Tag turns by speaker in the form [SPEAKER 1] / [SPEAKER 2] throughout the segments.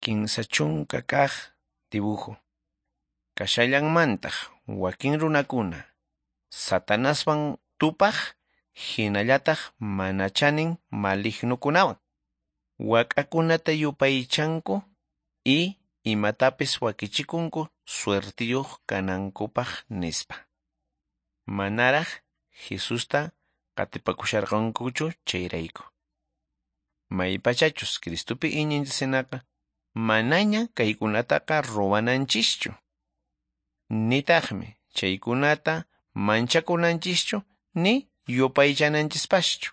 [SPEAKER 1] 30 kaq dibujo. Kashallanmantaq wakin runakuna Satanaswan tupaq hinallataq mana chanin malignokunawan. Wak'akunata yupaychanku y imatapis wakichikunku suertiyuq kanankupaq nispa. Manaraq Jesusta qatipakusharqankuchu chayrayku. Maypachachus Cristopi iñinchis manaña kaykunataqa ruwananchischu. Nitaqmi chaykunata manchakunanchischu ni yupaychananchispaschu.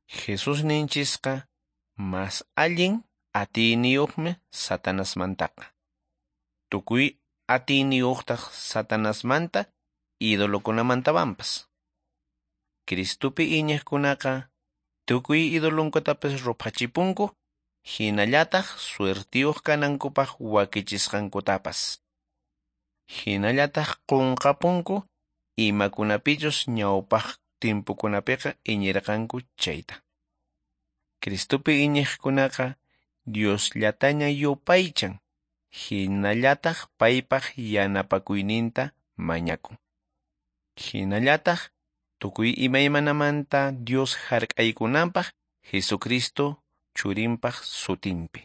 [SPEAKER 1] Jesus ninchisqa mas allin atiyniyuqmi Satanasmantaqa. Tukuy atiyniyuqtaq Satanasmanta idolokunamantawanpas. Cristopi iñiqkunaqa tukuy idolonkutapas ruphachipunku hinallataq suertiyuq kanankupaq wakichisqankutapas. Hinallataq qunqapunku imakunapichus ñawpaq timpukunapiqa iñirqanku chayta. Cristopi iñiqkunaqa Diosllataña yupaychan hinallataq paypaq yanapakuyninta mañakun. Hinallataq tukuy imaymanamanta Dios hark'aykunanpaq Jesucristo churinpaq sutinpi.